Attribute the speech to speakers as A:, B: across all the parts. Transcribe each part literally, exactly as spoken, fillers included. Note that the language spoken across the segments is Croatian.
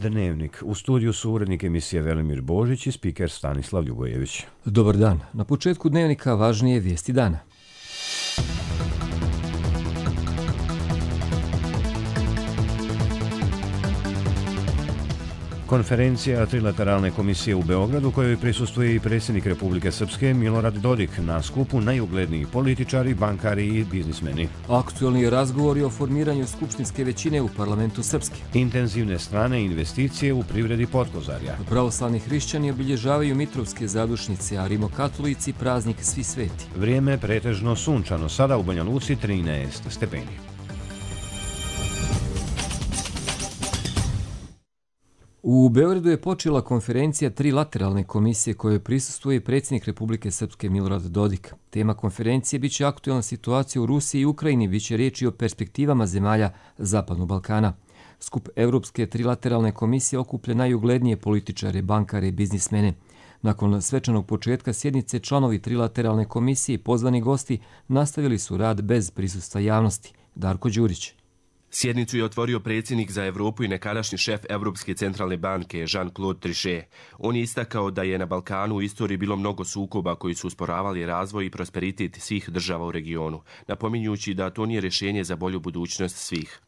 A: Dnevnik. U studiju su urednik emisije Velimir Božić i spiker Stanislav Ljubojević.
B: Dobar dan. Na početku Dnevnika važnije vijesti dana.
A: Konferencija Trilateralne komisije u Beogradu, kojoj prisustvuje i predsjednik Republike Srpske Milorad Dodik, na skupu najugledniji političari, bankari i biznismeni.
B: Aktualni razgovori o formiranju skupštinske većine u parlamentu Srpske.
A: Intenzivne strane investicije u privredi Potkozarja.
B: Pravoslavni hrišćani obilježavaju Mitrovske zadušnice, a rimokatolici praznik Svi sveti.
A: Vrijeme pretežno sunčano, sada u Banja Luci trinaest stepeni.
B: U Beogradu je počela konferencija Trilateralne komisije kojoj prisustvuje predsjednik Republike Srpske Milorad Dodik. Tema konferencije biće aktualna situacija u Rusiji i Ukrajini, biće riječi o perspektivama zemalja Zapadnog Balkana. Skup Evropske Trilateralne komisije okuplja najuglednije političare, bankare i biznismene. Nakon svečanog početka sjednice članovi Trilateralne komisije i pozvani gosti nastavili su rad bez prisustva javnosti. Darko Đurić.
C: Sjednicu je otvorio predsjednik za Evropu i nekadašnji šef Evropske centralne banke Jean-Claude Trichet. On je istakao da je na Balkanu u istoriji bilo mnogo sukoba koji su usporavali razvoj i prosperitet svih država u regionu, napominjući da to nije rješenje za bolju budućnost svih.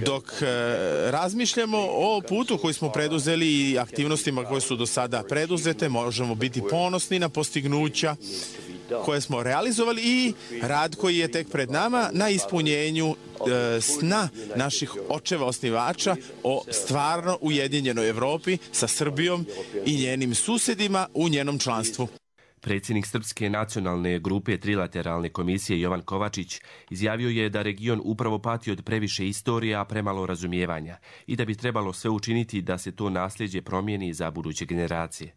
D: Dok e, razmišljamo o putu koji smo preduzeli i aktivnostima koje su do sada preduzete, možemo biti ponosni na postignuća koje smo realizovali i rad koji je tek pred nama na ispunjenju e, sna naših očeva osnivača o stvarno ujedinjenoj Evropi sa Srbijom i njenim susjedima u njenom članstvu.
C: Predsjednik Srpske nacionalne grupe Trilateralne komisije Jovan Kovačić izjavio je da region upravo pati od previše istorije, a premalo razumijevanja i da bi trebalo sve učiniti da se to nasljeđe promijeni za buduće generacije.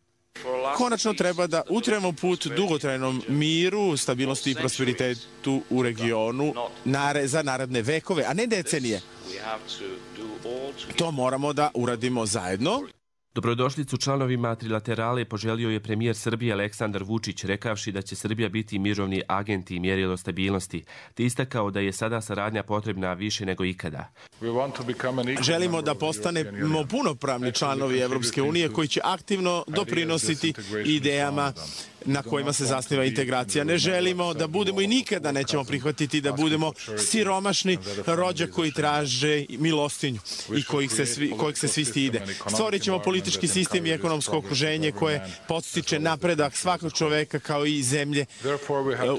D: Konačno treba da utremo put dugotrajnom miru, stabilnosti i prosperitetu u regionu za naredne vekove, a ne decenije. To moramo da uradimo zajedno.
C: Dobrodošlicu članovima Trilaterale poželio je premijer Srbije Aleksandar Vučić, rekavši da će Srbija biti mirovni agent i mjerilo stabilnosti, te istakao da je sada saradnja potrebna više nego ikada.
D: Želimo da postanemo punopravni članovi Evropske unije koji će aktivno doprinositi idejama na kojima se zasniva integracija. Ne želimo da budemo i nikada nećemo prihvatiti da budemo siromašni rođak koji traže milostinju i kojih se svi, kojih se svi stide. Stvorit ćemo politički sistem i ekonomsko okruženje koje podstiče napredak svakog čoveka kao i zemlje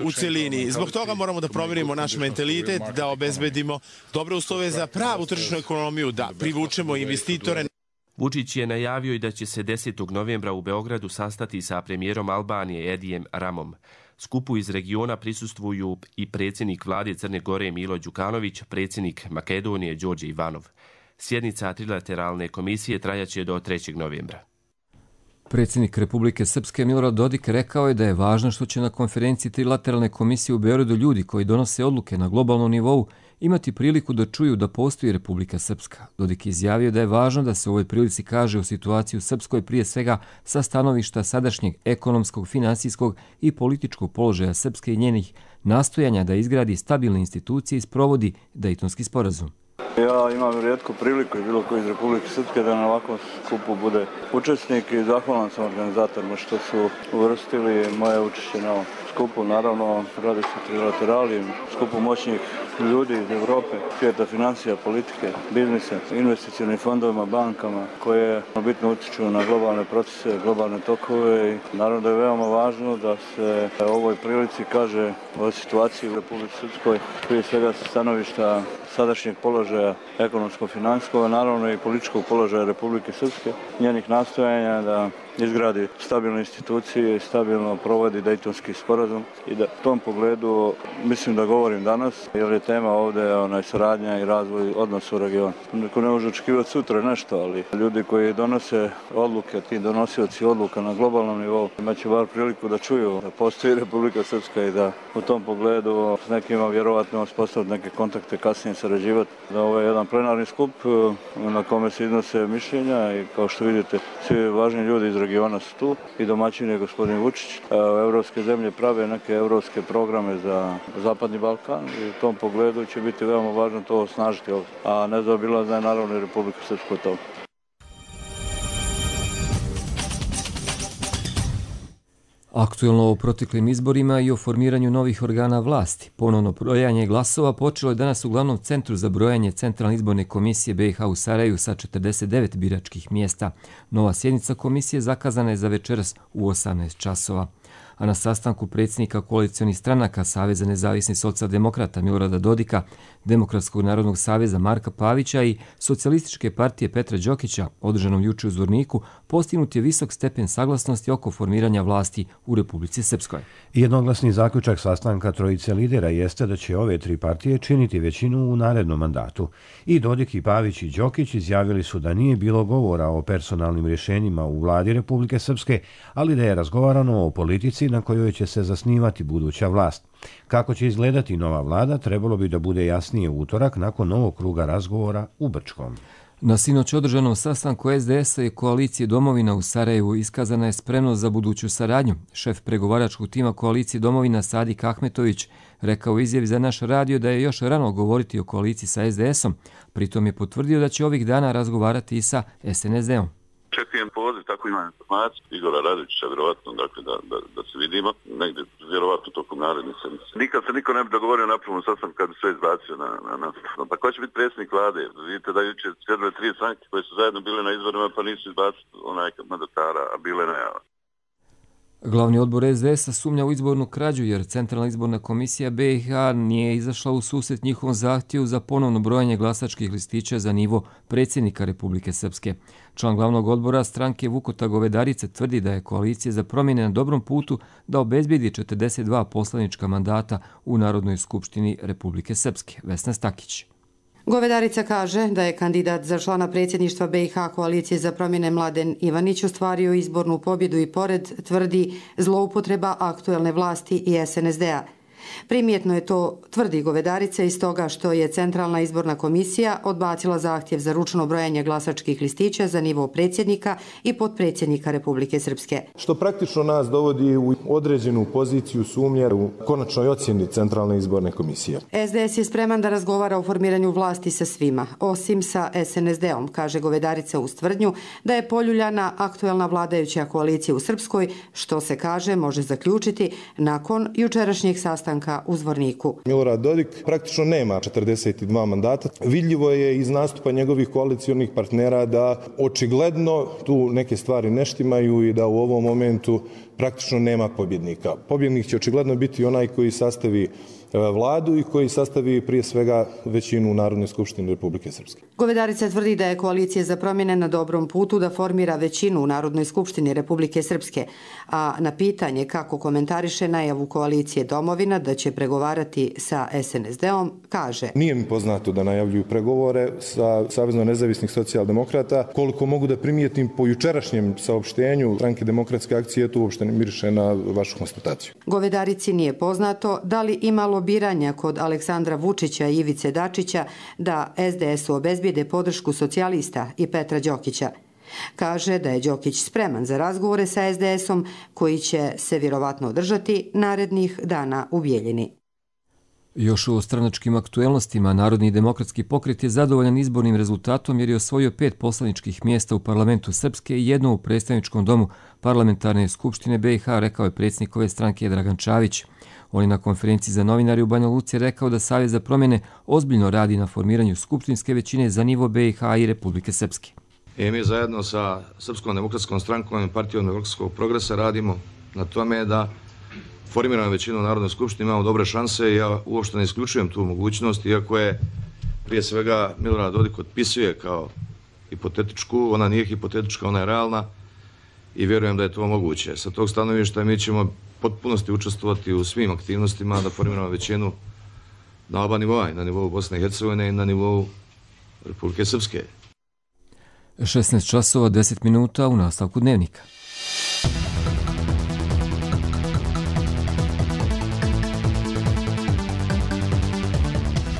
D: u celini. Zbog toga moramo da promijenimo naš mentalitet, da obezbedimo dobre uslove za pravu tržišnu ekonomiju, da privučemo investitore.
C: Vučić je najavio i da će se desetog novembra u Beogradu sastati sa premijerom Albanije Edijem Ramom. Skupu iz regiona prisustvuju i predsjednik vlade Crne Gore Milo Đukanović, predsjednik Makedonije Đorđe Ivanov. Sjednica Trilateralne komisije trajaće do trećeg novembra.
B: Predsjednik Republike Srpske Milorad Dodik rekao je da je važno što će na konferenciji Trilateralne komisije u Beogradu ljudi koji donose odluke na globalnom nivou imati priliku da čuju da postoji Republika Srpska. Dodik je izjavio da je važno da se u ovoj prilici kaže o situaciji u Srpskoj prije svega sa stanovišta sadašnjeg ekonomskog, finansijskog i političkog položaja Srpske i njenih nastojanja da izgradi stabilne institucije i sprovodi Dejtonski sporazum.
E: Ja imam rijetku priliku i bilo koji iz Republike Srpske da na ovakvom skupu bude učesnik i zahvalan sam organizatorima što su uvrstili moje učešće na ovom skupu. Naravno, radi se o trilaterali, skupu moćnih ljudi iz Evrope, svijeta financija, politike, biznisa, investicionim fondovima, bankama koje bitno utiču na globalne procese, globalne tokove i naravno da je veoma važno da se u ovoj prilici kaže o situaciji u Republici Srpskoj, prije svega sa stanovišta sadašnjeg položaja ekonomsko-financijskog, naravno i političkog položaja Republike Srpske, njenih nastojanja da izgradi stabilne institucije i stabilno provodi Dejtonski sporazum i da u tom pogledu mislim da govorim danas, jer je tema ovdje onaj saradnja i razvoj odnosa u regionu. Neko ne može očekivati sutra nešto, ali ljudi koji donose odluke, ti donosioci odluka na globalnom nivou, imaće bar priliku da čuju da postoji Republika Srpska i da u tom pogledu s nekima vjerovatno uspostaviti neke kontakte kasnije sarađivati. Ovo je jedan plenarni skup na kome se iznose mišljenja i kao što vidite svi važni ljudi iz regiona su tu i domaćin je gospodin Vučić. Evropske zemlje prave neke evropske programe za Zapadni Balkan i u tom pogledu će biti veoma važno to osnažiti ovdje. A nezaobilazna je naravno i Republika Srpska to.
B: Aktuelno o proteklim izborima i o formiranju novih organa vlasti. Ponovno brojanje glasova počelo je danas u glavnom centru za brojanje Centralne izborne komisije B i H u Sarajevu sa četrdeset devet biračkih mjesta. Nova sjednica komisije zakazana je za večeras u osamnaest časova. A na sastanku predsjednika koalicionih stranaka Saveza nezavisnih socijaldemokrata Milorada Dodika, Demokratskog narodnog saveza Marka Pavića i Socijalističke partije Petra Đokića, održanom juče u Zvorniku, postignut je visok stepen saglasnosti oko formiranja vlasti u Republici Srpskoj.
A: Jednoglasni zaključak sastanka trojice lidera jeste da će ove tri partije činiti većinu u narednom mandatu. I Dodik i Pavić i Đokić izjavili su da nije bilo govora o personalnim rješenjima u vladi Republike Srpske, ali da je razgovarano o politici na kojoj će se zasnivati buduća vlast. Kako će izgledati nova vlada, trebalo bi da bude jasnije u utorak nakon novog kruga razgovora u Brčkom.
B: Na sinoć održanom sastanku S D S-a i koalicije Domovina u Sarajevu iskazana je spremnost za buduću saradnju. Šef pregovaračkog tima koalicije Domovina Sadik Ahmetović rekao u izjavi za naš radio da je još rano govoriti o koaliciji sa S D S-om, pritom je potvrdio da će ovih dana razgovarati i sa S N S D-om.
F: Čekujem poziv, tako imam informaciju Igora Radovića, vjerovatno, dakle, da, da, da se vidimo, negdje, vjerovatno tokom narednih sedmice. Nikad se niko ne bi dogovorio na prvom sastanku kad bi sve izbacio na, na, na, pa ko će biti predsjednik vlade? Vidite da juče sjedile tri stranke koje su zajedno bile na izborima, pa nisu izbacili onaj mandatara, a bile najava.
B: Glavni odbor S D S-a sumnja u izbornu krađu jer Centralna izborna komisija B i H nije izašla u susret njihovom zahtjevu za ponovno brojanje glasačkih listića za nivo predsjednika Republike Srpske. Član glavnog odbora stranke Vukota Govedarice tvrdi da je koalicija za promjene na dobrom putu da obezbijedi četrdeset dva poslanička mandata u Narodnoj skupštini Republike Srpske. Vesna Stakić.
G: Govedarica kaže da je kandidat za člana predsjedništva B i H koalicije za promjene Mladen Ivanić ostvario izbornu pobjedu i pored, tvrdi, zloupotreba aktuelne vlasti i S N S D-a. Primjetno je to, tvrdi Govedarica, iz toga što je Centralna izborna komisija odbacila zahtjev za ručno brojanje glasačkih listića za nivo predsjednika i potpredsjednika Republike Srpske.
H: Što praktično nas dovodi u određenu poziciju sumnje u konačnoj ocjeni Centralne izborne komisije.
G: S D S je spreman da razgovara o formiranju vlasti sa svima, osim sa S N S D-om, kaže Govedarica uz tvrdnju da je poljuljana aktuelna vladajuća koalicija u Srpskoj, što se kaže može zaključiti nakon jučerašnjeg sastanka u Zvorniku.
H: Milorad Dodik praktično nema četrdeset dva mandata. Vidljivo je iz nastupa njegovih koalicionih partnera da očigledno tu neke stvari ne štimaju i da u ovom momentu praktično nema pobjednika. Pobjednik će očigledno biti onaj koji sastavi vladu i koji sastavi prije svega većinu u Narodnoj skupštini Republike Srpske.
G: Govedarica tvrdi da je koalicija za promjene na dobrom putu da formira većinu u Narodnoj skupštini Republike Srpske, a na pitanje kako komentariše najavu koalicije Domovina da će pregovarati sa S N S D-om, kaže:
H: Nije mi poznato da najavljuju pregovore sa Savezno nezavisnih socijaldemokrata. Koliko mogu da primijetim po jučerašnjem saopštenju Stranke demokratske akcije, to uopšte ne miriše na vašu konstataciju.
G: Govedarici nije poznato da li imalo biranja kod Aleksandra Vučića i Ivice Dačića da S D S-u obezbijede podršku socijalista i Petra Đokića. Kaže da je Đokić spreman za razgovore sa S D S-om koji će se vjerovatno održati narednih dana u Bijeljini.
B: Još u stranačkim aktuelnostima Narodni demokratski pokret je zadovoljan izbornim rezultatom jer je osvojio pet poslaničkih mjesta u parlamentu Srpske i jedno u predstavničkom domu parlamentarne skupštine B i H, rekao je predsjednik ove stranke Dragan Čavić. On je na konferenciji za novinari u Banja Luci rekao da Savez za promjene ozbiljno radi na formiranju skupštinske većine za nivo B i H i Republike Srpske.
I: I mi zajedno sa Srpskom demokratskom strankom i partijom demokratskog progresa radimo na tome da formiramo većinu u Narodnoj skupštini, imamo dobre šanse i ja uopšte ne isključujem tu mogućnost, iako je prije svega Milorad Dodik otpisuje kao hipotetičku, ona nije hipotetička, ona je realna i vjerujem da je to moguće. Sa tog stanovišta mi ćemo potpunosti učestvovati u svim aktivnostima da formiramo većinu na oba nivoa, na nivou Bosne i Hercegovine i na nivou Republike Srpske.
B: šesnaest časova deset minuta u nastavku dnevnika.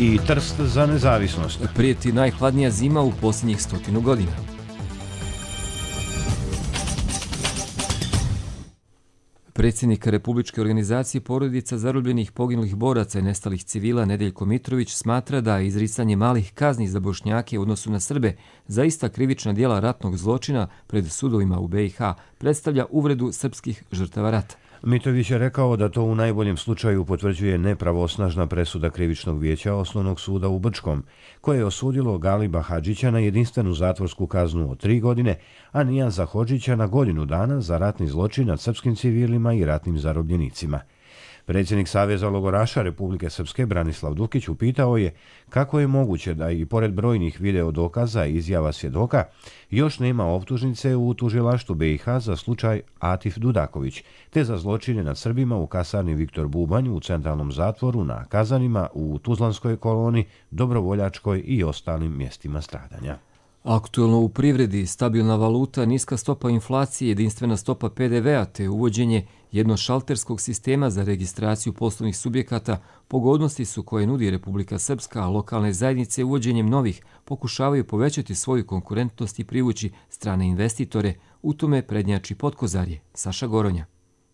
A: I Trst za nezavisnost.
B: Prijeti najhladnija zima u posljednjih stotinu godina. Predsjednik Republičke organizacije porodica zarobljenih poginulih boraca i nestalih civila Nedeljko Mitrović smatra da izricanje malih kazni za Bošnjake u odnosu na Srbe za ista krivična djela ratnog zločina pred sudovima u be i ha predstavlja uvredu srpskih žrtava rata.
A: Mitrović je rekao da to u najboljem slučaju potvrđuje nepravosnažna presuda Krivičnog vijeća Osnovnog suda u Brčkom, koje je osudilo Galiba Hadžića na jedinstvenu zatvorsku kaznu od tri godine, a Nijaza Hodžića na godinu dana za ratni zločin nad srpskim civilima i ratnim zarobljenicima. Predsjednik Saveza logoraša Republike Srpske Branislav Dukić upitao je kako je moguće da i pored brojnih video dokaza i izjava svjedoka još nema optužnice u tužilaštvu be i ha za slučaj Atif Dudaković, te za zločine nad Srbima u kasarni Viktor Bubanj u centralnom zatvoru, na kazanima u Tuzlanskoj koloni, Dobrovoljačkoj i ostalim mjestima stradanja.
B: Aktuelno u privredi, stabilna valuta, niska stopa inflacije, jedinstvena stopa pe de ve a te uvođenje jednošalterskog sistema za registraciju poslovnih subjekata pogodnosti su koje nudi Republika Srpska, a lokalne zajednice uvođenjem novih pokušavaju povećati svoju konkurentnost i privući strane investitore, u tome prednjači Potkozarje. Saša Goronja.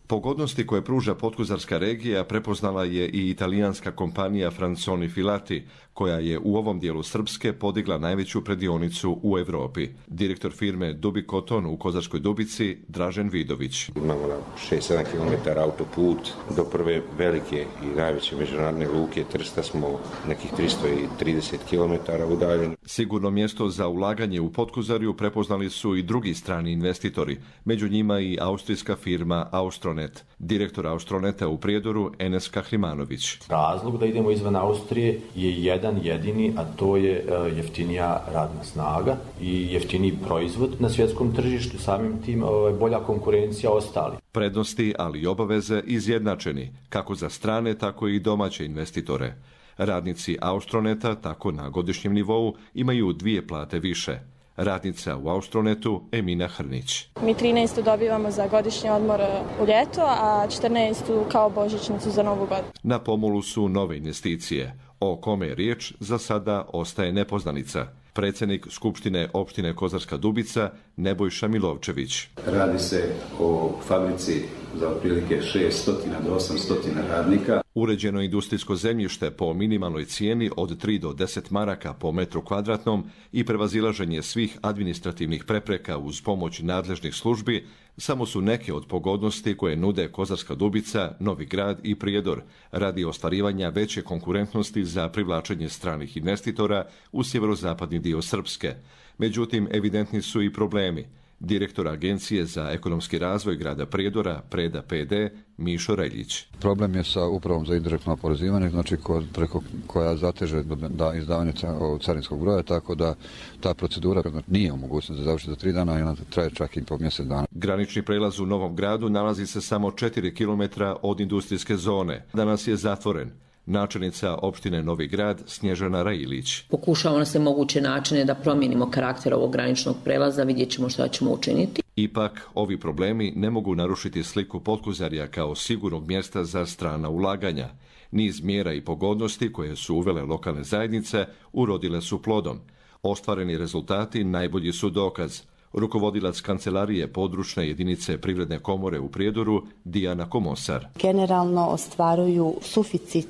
J: Pogodnosti koje pruža Potkozarska regija prepoznala je i italijanska kompanija Franconi Filati, koja je u ovom dijelu Srpske podigla najveću predionicu u Evropi. Direktor firme Dubi Koton u Kozarskoj Dubici, Dražen Vidović.
K: Imamo na šest sedam kilometara autoput do prve velike i najveće međunarodne luke Trsta smo nekih tristo trideset kilometara udaljeni.
J: Sigurno mjesto za ulaganje u Potkozarju prepoznali su i drugi strani investitori, među njima i austrijska firma Austronet. Direktor Austroneta u Prijedoru, Enes Kahrimanović.
L: Razlog da idemo izvan Austrije je jedan jedini, a to je jeftinija radna snaga i jeftiniji proizvod na svjetskom tržištu, samim tim bolja konkurencija ostali.
J: Prednosti, ali i obaveze izjednačeni, kako za strane, tako i domaće investitore. Radnici Austroneta, tako na godišnjem nivou, imaju dvije plate više. Radnica u Austronetu Emina Hrnić.
M: Mi trinaestu dobivamo za godišnji odmor u ljeto, a četrnaestu kao božićnicu za novu godinu.
J: Na pomolu su nove investicije. O kome je riječ za sada ostaje nepoznanica. Predsjednik Skupštine opštine Kozarska Dubica Nebojša Milovčević.
N: Radi se o fabrici za otprilike šesto do osamsto radnika.
J: Uređeno industrijsko zemljište po minimalnoj cijeni od tri do deset maraka po metru kvadratnom i prevazilaženje svih administrativnih prepreka uz pomoć nadležnih službi samo su neke od pogodnosti koje nude Kozarska Dubica, Novi Grad i Prijedor radi ostvarivanja veće konkurentnosti za privlačenje stranih investitora u sjeverozapadni dio Srpske. Međutim, evidentni su i problemi. Direktor Agencije za ekonomski razvoj grada Prijedora, Preda pe de, Mišo Reljić.
O: Problem je sa upravom za indirektno oporezivanje, znači kod, preko koja zateže da izdavanje carinskog broja, tako da ta procedura nije u mogućnosti da završi za tri dana i ona traje čak i po mjesec dana.
J: Granični prelaz u Novom Gradu nalazi se samo četiri kilometra od industrijske zone. Danas je zatvoren. Načelnica opštine Novi Grad Snježana Rajilić.
P: Pokušavamo na sve moguće načine da promijenimo karakter ovog graničnog prelaza, vidjet ćemo šta ćemo učiniti.
J: Ipak, ovi problemi ne mogu narušiti sliku Potkozarja kao sigurnog mjesta za strana ulaganja. Niz mjera i pogodnosti koje su uvele lokalne zajednice urodile su plodom. Ostvareni rezultati najbolji su dokaz. Rukovodilac kancelarije područne jedinice Privredne komore u Prijedoru, Dijana Komosar.
Q: Generalno ostvaruju suficit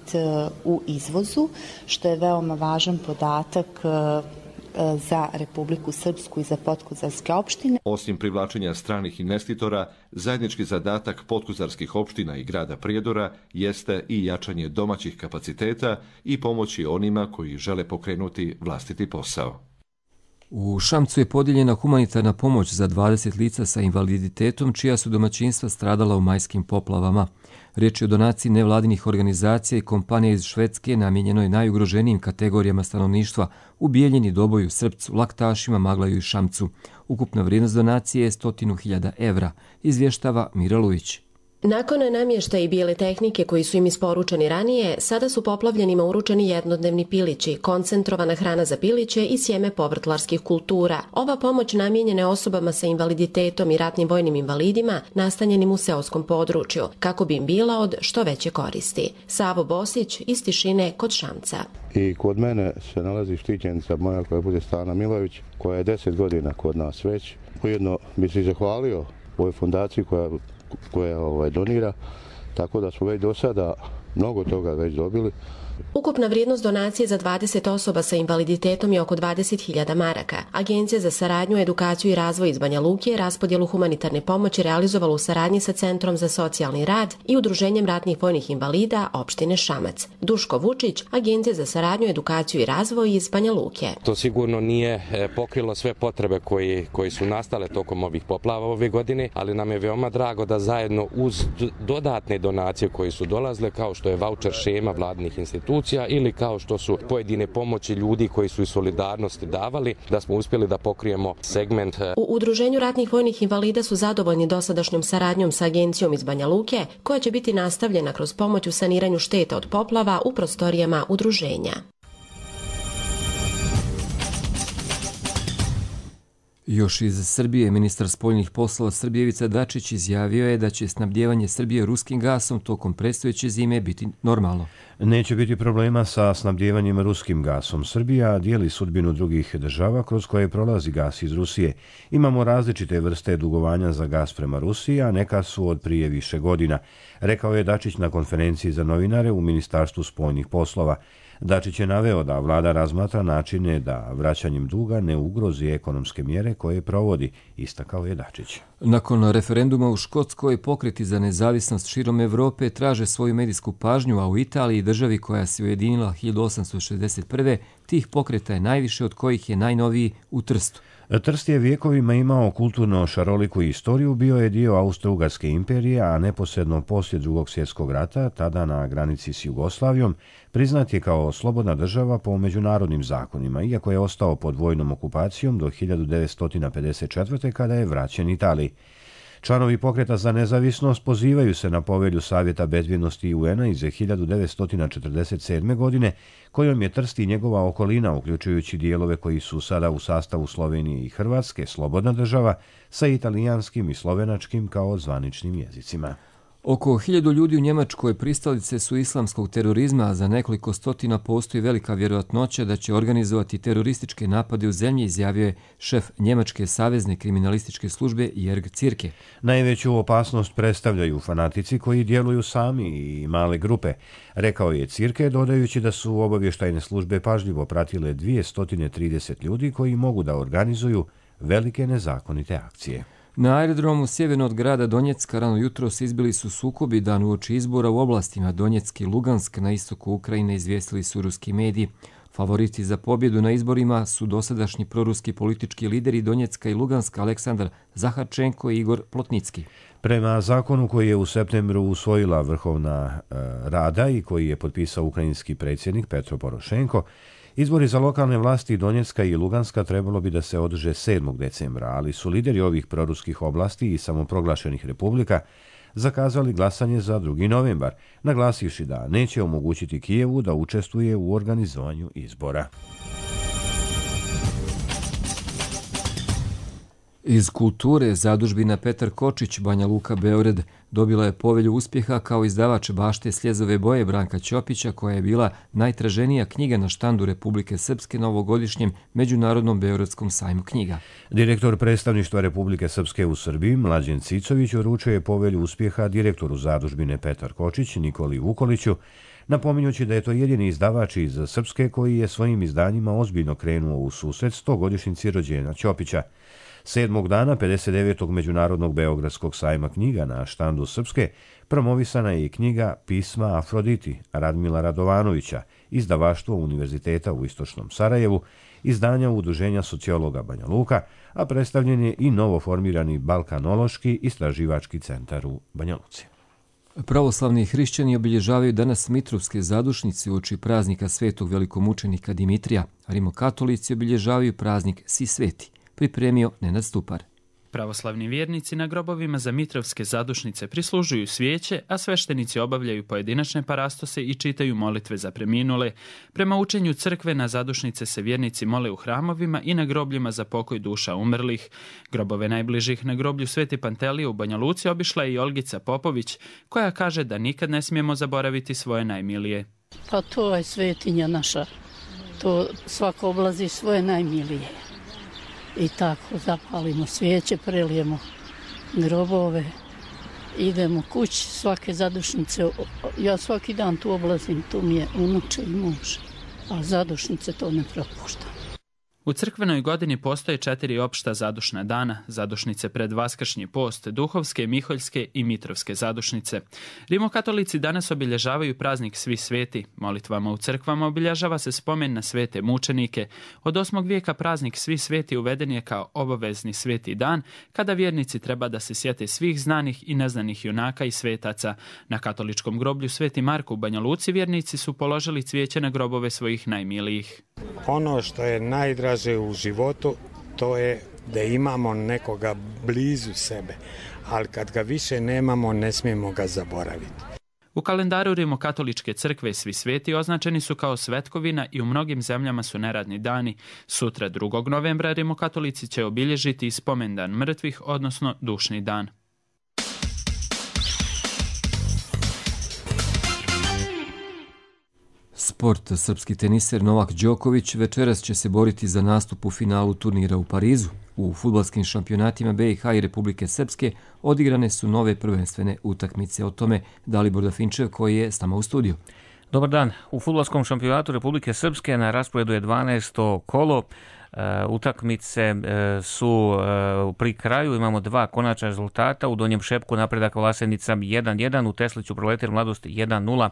Q: u izvozu, što je veoma važan podatak za Republiku Srpsku i za Potkozarske opštine.
J: Osim privlačenja stranih investitora, zajednički zadatak potkozarskih opština i grada Prijedora jeste i jačanje domaćih kapaciteta i pomoći onima koji žele pokrenuti vlastiti posao.
B: U Šamcu je podijeljena humanitarna pomoć za dvadeset lica sa invaliditetom, čija su domaćinstva stradala u majskim poplavama. Riječ je o donaciji nevladinih organizacija i kompanija iz Švedske namijenjenoj najugroženijim kategorijama stanovništva u Bijeljini, Doboju, Srpcu, Laktašima, Maglaju i Šamcu. Ukupna vrijednost donacije je stotinu hiljada evra, izvještava Mira Lujić.
R: Nakon namještaja i bijele tehnike koji su im isporučeni ranije, sada su poplavljenima uručeni jednodnevni pilići, koncentrovana hrana za piliće i sjeme povrtlarskih kultura. Ova pomoć namijenjena je osobama sa invaliditetom i ratnim vojnim invalidima nastanjenim u seoskom području, kako bi im bila od što veće koristi. Savo Bosić iz Tišine kod Šamca.
S: I kod mene se nalazi štićenica moja koja bude Stana Milović, koja je deset godina kod nas već. Ujedno bi se zahvalio ovoj fondaciji koja koja ovaj, donira, tako da smo već do sada mnogo toga već dobili.
R: Ukupna vrijednost donacije za dvadeset osoba sa invaliditetom je oko dvadeset hiljada maraka. Agencija za saradnju, edukaciju i razvoj iz Banja Luke je raspodjelu humanitarne pomoći realizovala u saradnji sa Centrom za socijalni rad i Udruženjem ratnih vojnih invalida opštine Šamac. Duško Vučić, Agencija za saradnju, edukaciju i razvoj iz Banja Luke.
T: To sigurno nije pokrilo sve potrebe koji, koji su nastale tokom ovih poplava ove godine, ali nam je veoma drago da zajedno uz dodatne donacije koje su dolazile, kao što je vaučer šema vladnih institucija, ili kao što su pojedine pomoći ljudi koji su iz solidarnosti davali, da smo uspjeli da pokrijemo segment.
R: U Udruženju ratnih vojnih invalida su zadovoljni dosadašnjom saradnjom sa agencijom iz Banja Luke, koja će biti nastavljena kroz pomoć u saniranju šteta od poplava u prostorijama udruženja.
B: Još iz Srbije, ministar spoljnih poslova Srbije Ivica Dačić izjavio je da će snabdjevanje Srbije ruskim gasom tokom predstojeće zime biti normalno.
A: Neće biti problema sa snabdjevanjem ruskim gasom. Srbija dijeli sudbinu drugih država kroz koje prolazi gas iz Rusije. Imamo različite vrste dugovanja za gas prema Rusiji, a neka su od prije više godina, rekao je Dačić na konferenciji za novinare u Ministarstvu spoljnih poslova. Dačić je naveo da vlada razmatra načine da vraćanjem duga ne ugrozi ekonomske mjere koje provodi, istakao je Dačić.
B: Nakon referenduma u Škotskoj, pokreti za nezavisnost širom Evrope traže svoju medijsku pažnju, a u Italiji, državi koja se ujedinila hiljadu osamsto šezdeset prve. tih pokreta je najviše, od kojih je najnoviji u Trstu.
A: Trst je vijekovima imao kulturno šaroliku istoriju, bio je dio Austro-Ugarske imperije, a neposredno poslije Drugog svjetskog rata, tada na granici s Jugoslavijom, priznat je kao slobodna država po međunarodnim zakonima, iako je ostao pod vojnom okupacijom do hiljadu devetsto pedeset četvrte. kada je vraćen Italiji. Članovi pokreta za nezavisnost pozivaju se na povelju Savjeta bezbjednosti U N-a iz hiljadu devetsto četrdeset sedme. godine, kojom je Trst i njegova okolina, uključujući dijelove koji su sada u sastavu Slovenije i Hrvatske, slobodna država sa italijanskim i slovenačkim kao zvaničnim jezicima.
B: Oko hiljadu ljudi u Njemačkoj pristalice su islamskog terorizma, a za nekoliko stotina postoji velika vjerojatnoća da će organizovati terorističke napade u zemlji, izjavio je šef Njemačke savezne kriminalističke službe Jörg Zierke.
A: Najveću opasnost predstavljaju fanatici koji djeluju sami i male grupe, rekao je Zierke, dodajući da su obavještajne službe pažljivo pratile dvjesto trideset ljudi koji mogu da organizuju velike nezakonite akcije.
B: Na aerodromu sjeverno od grada Donjecka rano jutros izbili su sukobi dan uoči izbora u oblastima Donjeck i Lugansk na istoku Ukrajine, izvijestili su ruski mediji. Favoriti za pobjedu na izborima su dosadašnji proruski politički lideri Donjecka i Luganska Aleksandar Zaharčenko i Igor Plotnicki.
A: Prema zakonu koji je u septembru usvojila Vrhovna e, Rada i koji je potpisao ukrajinski predsjednik Petro Porošenko, izbori za lokalne vlasti Donjecka i Luganska trebalo bi da se održe sedmog decembra, ali su lideri ovih proruskih oblasti i samoproglašenih republika zakazali glasanje za drugi novembar, naglasivši da neće omogućiti Kijevu da učestvuje u organizovanju izbora.
B: Iz kulture zadužbina Petar Kočić, Banja Luka, Beograd, dobila je povelju uspjeha kao izdavač Bašte sljezove boje Branka Ćopića, koja je bila najtraženija knjiga na štandu Republike Srpske na ovogodišnjem Međunarodnom Beogradskom sajmu knjiga.
A: Direktor predstavništva Republike Srpske u Srbiji, Mlađen Cicović, uručuje povelju uspjeha direktoru zadužbine Petar Kočić, Nikoli Vukoliću, napominjući da je to jedini izdavač iz Srpske koji je svojim izdanjima ozbiljno krenuo u susret stogodišnjici rođenja Ćopića. Sedmog dana pedeset devetog Međunarodnog Beogradskog sajma knjiga na štandu Srpske promovisana je i knjiga Pisma Afroditi Radmila Radovanovića, izdavaštvo Univerziteta u Istočnom Sarajevu, izdanja Udruženja sociologa Banja Luka, a predstavljen je i novoformirani Balkanološki istraživački centar u Banja Luci.
B: Pravoslavni hrišćani obilježavaju danas Mitrovske zadušnice uoči praznika svetog velikomučenika Dimitrija, a rimokatolici obilježavaju praznik Svi sveti. Pripremio Nenad Stupar.
U: Pravoslavni vjernici na grobovima za mitrovske zadušnice prislužuju svijeće, a sveštenici obavljaju pojedinačne parastose i čitaju molitve za preminule. Prema učenju crkve na zadušnice se vjernici mole u hramovima i na grobljima za pokoj duša umrlih. Grobove najbližih na groblju Sveti Pantelije u Banja Luci obišla je i Olgica Popović, koja kaže da nikad ne smijemo zaboraviti svoje najmilije.
V: Pa to je svetinja naša. To svako oblazi svoje najmilije. I tako zapalimo svijeće, prelijemo grobove, idemo kući, svake zadušnice. Ja svaki dan tu oblazim, tu mi je unuče i muž, a zadušnice to ne propuštam.
U: U crkvenoj godini postoje četiri opšta zadušna dana, zadušnice pred Vaskršnji post, duhovske, miholjske i mitrovske zadušnice. Rimokatolici danas obilježavaju praznik Svi sveti. Molitvama u crkvama obilježava se spomen na svete mučenike. Od osmog vijeka praznik Svi sveti uveden je kao obavezni sveti dan, kada vjernici treba da se sjete svih znanih i neznanih junaka i svetaca. Na katoličkom groblju Sveti Marko u Banja Luci vjernici su položili cvijeće na grobove svojih najmilijih.
W: Ono što je najdraže u životu, to je da imamo nekoga blizu sebe, ali kad ga više nemamo, ne smijemo ga zaboraviti.
U: U kalendaru Rimokatoličke crkve Svi sveti označeni su kao svetkovina i u mnogim zemljama su neradni dani. Sutra drugog novembra Rimokatolici će obilježiti i spomendan mrtvih, odnosno dušni dan.
B: Sport. Srpski teniser Novak Đoković večeras će se boriti za nastup u finalu turnira u Parizu. U fudbalskim šampionatima B i H i Republike Srpske odigrane su nove prvenstvene utakmice. O tome Dalibor Dafinčev koji je s nama u studiju.
X: Dobar dan. U fudbalskom šampionatu Republike Srpske na rasporedu je dvanaesto kolo. Utakmice su pri kraju, imamo dva konačna rezultata. U Donjem Šepku napredak Vlasenica jedan jedan, u Tesliću Proletar Mladost jedan nula.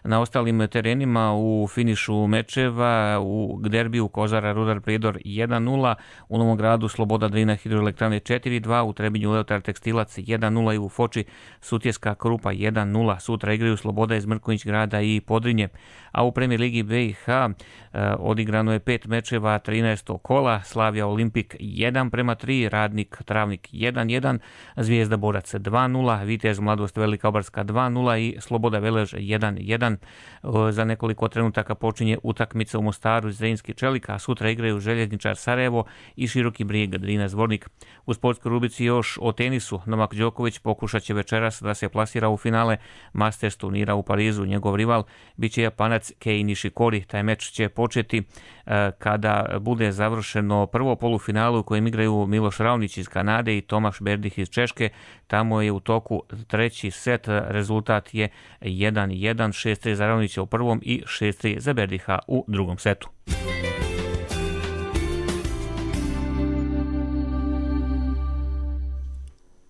X: Na ostalim terenima u finišu mečeva u derbiju Kozara Rudar Prijedor jedan nula, u Novom Gradu Sloboda Drina Hidroelektrane četiri dva, u Trebinju Leotar Tekstilac jedan nula i u Foči Sutjeska Krupa jedan nula. Sutra igraju Sloboda iz Mrkonjić Grada i Podrinje. A u Premijer ligi B i H odigrano je pet mečeva, trinaest kola. Slavija Olimpik jedan prema tri, Radnik Travnik jedan jedan, Zvijezda Borac dva nula, Vitez Mladost Velika Obarska dva nula i Sloboda Velež jedan jedan. Za nekoliko trenutaka počinje utakmica u Mostaru Zrenjski Čelik, a sutra igraju Željezničar Sarajevo i Široki Brijeg Drina Zvornik. U sportskoj rubrici još o tenisu. Novak Đoković pokušat će večeras da se plasira u finale Masters turnira u Parizu. Njegov rival biće Japanac Kei Nishikori. Taj meč će početi kada bude završeno prvo polufinalu u kojem igraju Miloš Raonić iz Kanade i Tomaš Berdih iz Češke. Tamo je u toku treći set, rezultat je jedan jedan, šest tri za Raonića u prvom i šest tri za Berdiha u drugom setu.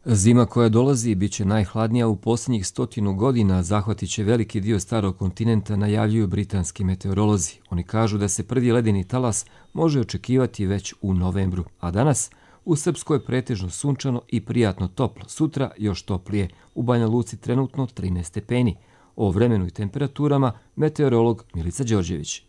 B: Zima koja dolazi bit će najhladnija u posljednjih stotinu godina, zahvatit će veliki dio starog kontinenta, najavljuju britanski meteorolozi. Oni kažu da se prvi ledeni talas može očekivati već u novembru, a danas u Srpskoj je pretežno sunčano i prijatno toplo, sutra još toplije, u Banja Luci trenutno trinaest stepeni. O vremenu i temperaturama meteorolog Milica Đorđević.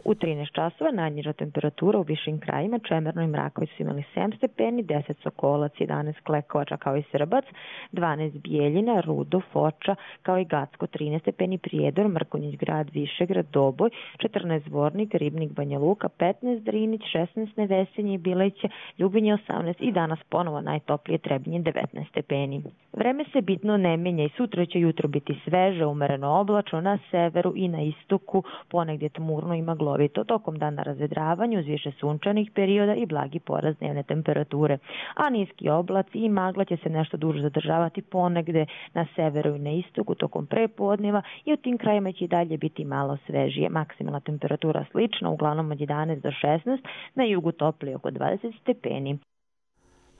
Y: U trinaest časova najniža temperatura u višim krajima, Čemerno i Mraković su imali sedam stepeni, deset Sokolac, jedanaest Klekovača kao i Srbac, dvanaest Bijeljina, Rudo, Foča kao i Gacko, trinaest stepeni Prijedor, Mrkonjić Grad, Višegrad, Doboj, četrnaest Zvornik, Ribnik, Banja Luka, petnaest Drinić, šesnaest Nevesinje i Bileće, Ljubinje osamnaest i danas ponovo najtoplije Trebinje devetnaest stepeni. Vreme se bitno ne menja i sutra će jutro biti sveže, umereno oblačno na severu i na istoku, ponegdje tmurno i maglovito. Tokom dana razvedravanju uz više sunčanih perioda i blagi porast dnevne temperature. A niski oblaci i magla će se nešto duže zadržavati ponegde na severu i na istoku tokom prepodneva i u tim krajima će i dalje biti malo svežije. Maksimalna temperatura slična, uglavnom od jedanaest do šesnaest, na jugu toplije oko dvadeset stepeni.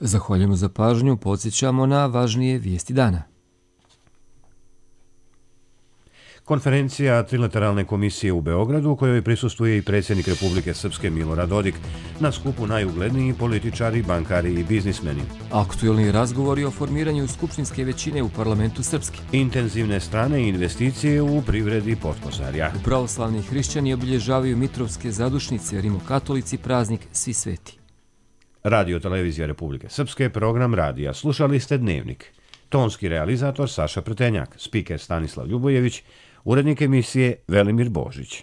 B: Zahvaljujemo za pažnju, podsjećamo na važnije vijesti dana.
A: Konferencija Trilateralne komisije u Beogradu, u kojoj prisustvuje i predsjednik Republike Srpske Milorad Dodik, na skupu najugledniji političari, bankari i biznismeni.
B: Aktuelni razgovori o formiranju skupštinske većine u parlamentu Srpske.
A: Intenzivne strane i investicije u privredi Potkozarja.
B: Pravoslavni hrišćani obilježavaju mitrovske zadušnice, rimokatolici praznik Svi sveti.
A: Radio Televizija Republike Srpske, program radija. Slušali ste Dnevnik. Tonski realizator Saša Pretenjak, spiker Stanislav Ljubojević, urednik emisije Velimir Božić.